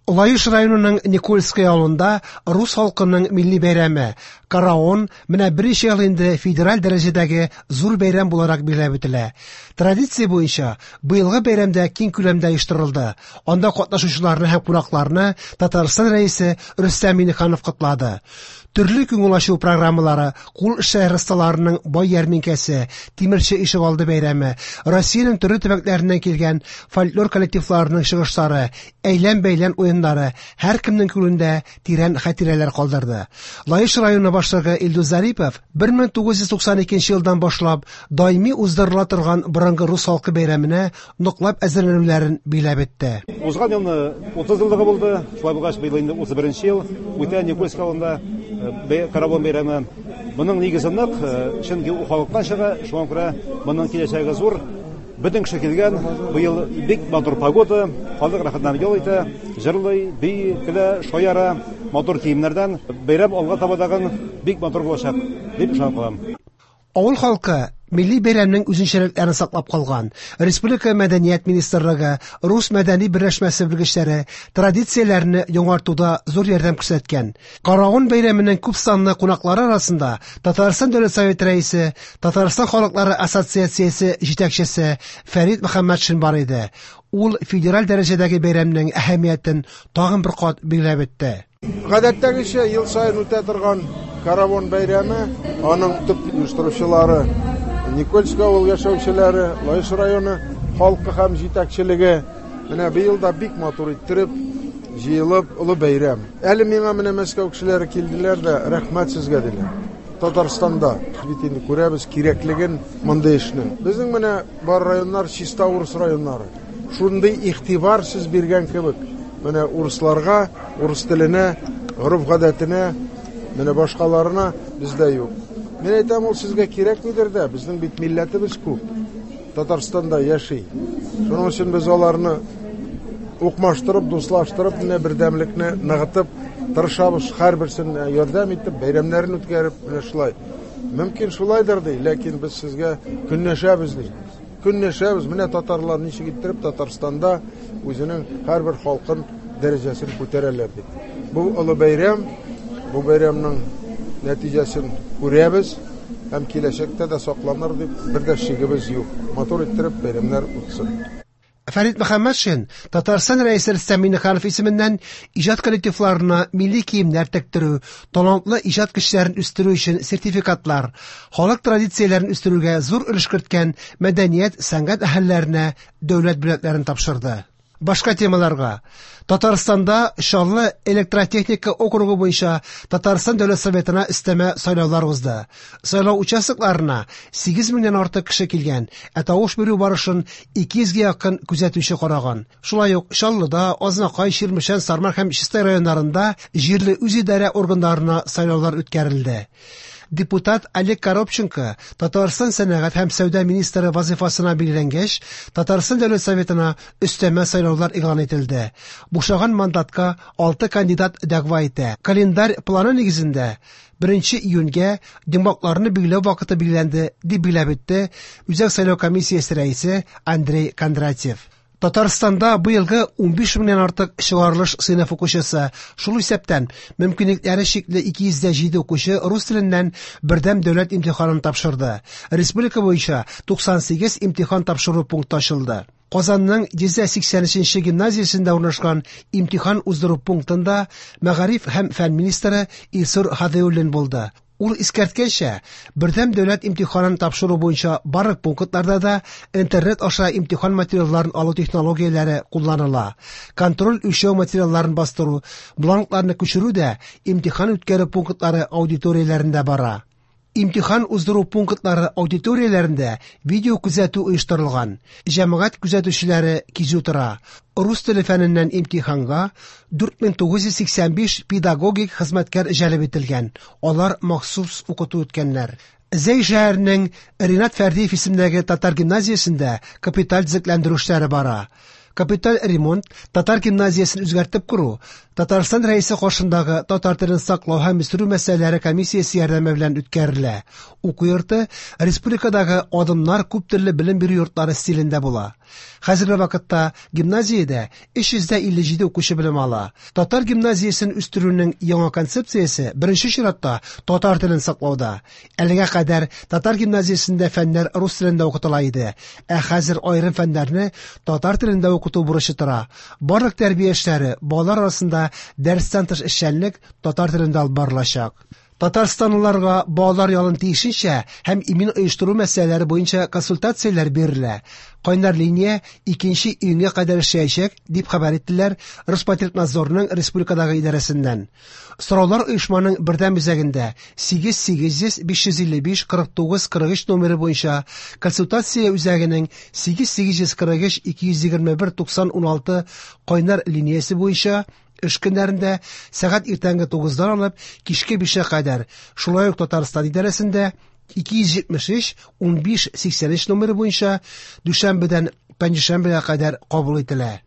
Лаеш районының Никольское авылында рус халкының милли бәйрәме Караон менә берничә ел инде федераль дәрәҗәдәге зур бәйрәм буларак билгеләп үтелә. Традиция буенча быелгы бәйрәм дә киң күләмдә оештырылды. Анда катнашучыларны һәм кунакларны Татарстан Рәисе Рөстәм Миңнеханов котлады. Төрле күңел ачу программалары, кул эшләре осталарының бай ярминкәсе, Тимерче ишегалды бәйрәме, Россиянең төрле төбәкләреннән килгән фольклор коллективларының чыгышлары, әйлән-бәйлән уеннары һәркемнең күңелендә тирән хатирәләр калдырды. Лаеш районы башлыгы Илдус Зарипов 1992 елдан башлап даими уздырыла торган борынгы рус халкы бәйрәменә ныклап әзерләнүләрен билгеләп үтте. Узган елны 30 еллыгы булды, шулай булгач быел инде 31 ел үтә Никольск авылында Каравон бәйрәме. Моның нигезе нык, чөнки ул халыктан чыга, шуңа күрә моның киләчәге зур. Бөтен кеше килгән, быел бик матур погода, халык рәхәтләнеп ял итә, җырлый, бии, көлә, шаяра, матур киемнәрдән. Бәйрәм алга таба тагын бик матур булачак, дип ышанып калам. Авыл халкы милли бәйрәмнең үзенчәлекләрен саклап калган. Республика Мәдәният министрлыгы, Рус мәдәни берләшмәсе белгечләре традицияләрне яңартуда зур ярдәм күрсәткән. Каравон бәйрәменең күп санлы кунаклары арасында Татарстан Дәүләт Советы Рәисе, Татарстан халыклары ассоциациясе җитәкчесе Фәрит Мөхәммәтшин бар иде. Ул федераль дәрәҗәдәге бәйрәмнең әһәмиятен тагын бер кат билгеләп үтте. Гадәттәгечә ел саен үтә торган Каравон бәйрәме, аның төп оештыручылары Никольск авыл яшәүчеләре, Лаеш районы халкы һәм җитәкчелеге. Менә быел да бик матур иттереп җыелып олы бәйрәм. Әле миңа менә Мәскәү кешеләре килделәр дә, рәхмәт сезгә диләр. Татарстанда бит инде күрәбез кирәклеген мондый эшнең. Безнең менә бар районнар чиста урыс районнары. Шундый игътибар сез биргән кебек, менә урысларга, урыс теленә, гореф-гадәтенә, менә башкаларына бездә юк. Мин әйтәм, ул сезгә кирәкмидер дә, безнең бит милләтебез күп. Татарстанда яши. Шуның өчен без аларны укмаштырып, дуслаштырып, менә бердәмлекне ныгытып тырышабыз, һәрберсенә ярдәм итеп, бәйрәмнәрен үткәреп, менә шулай. Мөмкин шулайдыр ди, ләкин без сезгә көнләшәбез ди. Көнләшәбез, менә татарлар ничек иттереп Татарстанда үзенең һәрбер халкын дәрәҗәсен күтәрәләр дип. Бу олы бәйрәм, бу бәйрәмнең нәтиҗәсен күрәбез һәм киләчәктә дә сакланыр дип бер дә шигебез юк. Матур иттереп бәйрәмнәр үтсен. Фәрит Мөхәммәтшин Татарстан Рәисе Рөстәм Миңнеханов исеменнән иҗат коллективларына милли киемнәр тектерү, талантлы иҗат кешеләрен үстерү өчен сертификатлар, халык традицияләрен үстерүгә зур өлеш керткән мәдәният, сәнгать әһелләренә дәүләт бүләкләрен тапшырды. Башка темаларга. Татарстанда Чаллы электротехника округы буенча Татарстан Дәүләт Советына өстәмә сайлаулар узды. Сайлау участокларына 8 меңнән артык кеше килгән, ә тавыш бирү барышын 200 гә якын күзәтүче караган. Шулай ук Чаллыда, Азнакай, Чирмешән, Сарман һәм Чистай районнарында җирле үзидарә органнарына сайлаулар үткәрелде. Депутат Олег Коробченко Татарстан сәнәгать һәм сәүдә министры вазифасына билгеләнгәч, Татарстан Дәүләт Советына өстәмә сайлаулар игълан ителде. Бушаган мандатка 6 кандидат дәгъва итә. Календарь планы нигезендә 1 июньгә йомгакларны билгеләү вакыты билгеләнде, дип билгеләп үтте Үзәк сайлау комиссиясе рәисе Андрей Кондратьев. Татарстанда быелгы 15 меңнән артык чыгарылыш сыйныф укучысы, шул исәптән мөмкинлекләре чикле 207 укучы рус теленнән бердәм дәүләт имтиханын тапшырды. Республика буенча 98 имтихан тапшыру пункты ачылды. Казанның 183 гимназиясендә урнашкан имтихан уздыру пунктында мәгариф һәм фән министры Илсур Һадиуллин булды. Ул искәрткәнчә, бердәм дәүләт имтиханын тапшыру буенча барлык пунктларда да интернет аша имтихан материалларын алу технологияләре кулланыла. Контроль үлчәү материалларын бастыру, бланкларны күчерү дә имтихан үткәрү пунктлары аудиторияләрендә бара. Имтихан уздыру пунктлары аудиторияләрендә видео күзәтү оештырылган. Җәмәгать күзәтүчеләре кизү тора. Рус теле фәненнән имтиханга 4985 педагогик хезмәткәр җәлеп ителгән. Алар махсус укыту үткәннәр. Зәй шәһәренең Ринат Фәрдиев исемендәге татар гимназиясендә капиталь төзекләндерү эшләре бара. Капиталь ремонт, татар гимназиясен үзгәртеп кору, Татарстан Рәисе каршындагы татар телен саклау һәм үстерү мәсьәләләре комиссиясе ярдәме белән үткәрелә. Уку йорты республикадагы адымнар күп төрле белем бирү йортлары стилендә була. Хәзерге вакытта гимназиядә 357 укучы белем ала. Татар гимназиясен үстерүнең яңа концепциясе беренче чиратта татар телен саклауда. Әлегә кадәр татар гимназиясендә фәннәр рус телендә укытыла иде, ә хәзер аерым фәннәрне татар телендә укыту бурычы тора. Барлык тәрбия эшләре, балалар арасында дәрестән тыш эшчәнлек татар телендә алып барылачак. Татарстанлыларга балалар ялын тиешенчә һәм имин оештыру мәсьәләләре буенча консультацияләр бирелә. Кайнар линия 2 июньгә кадәр эшләячәк, дип хәбәр иттеләр Роспотребнадзорның республикадагы идарәсеннән. Сораулар оешманың бердәм үзәгендә 8 800 555 49 43 номеры буенча, консультация үзәгенең 8 843 221 90 16 кайнар линиясе буенча эш көннәрендә сәгать иртәнге 9-дан алып кичке 5-кә кадәр, шулай ук Татарстан идарәсендә 273 15 83 номеры буенча дүшәмбедән пәнҗешәмбегә кадәр кабул ителә.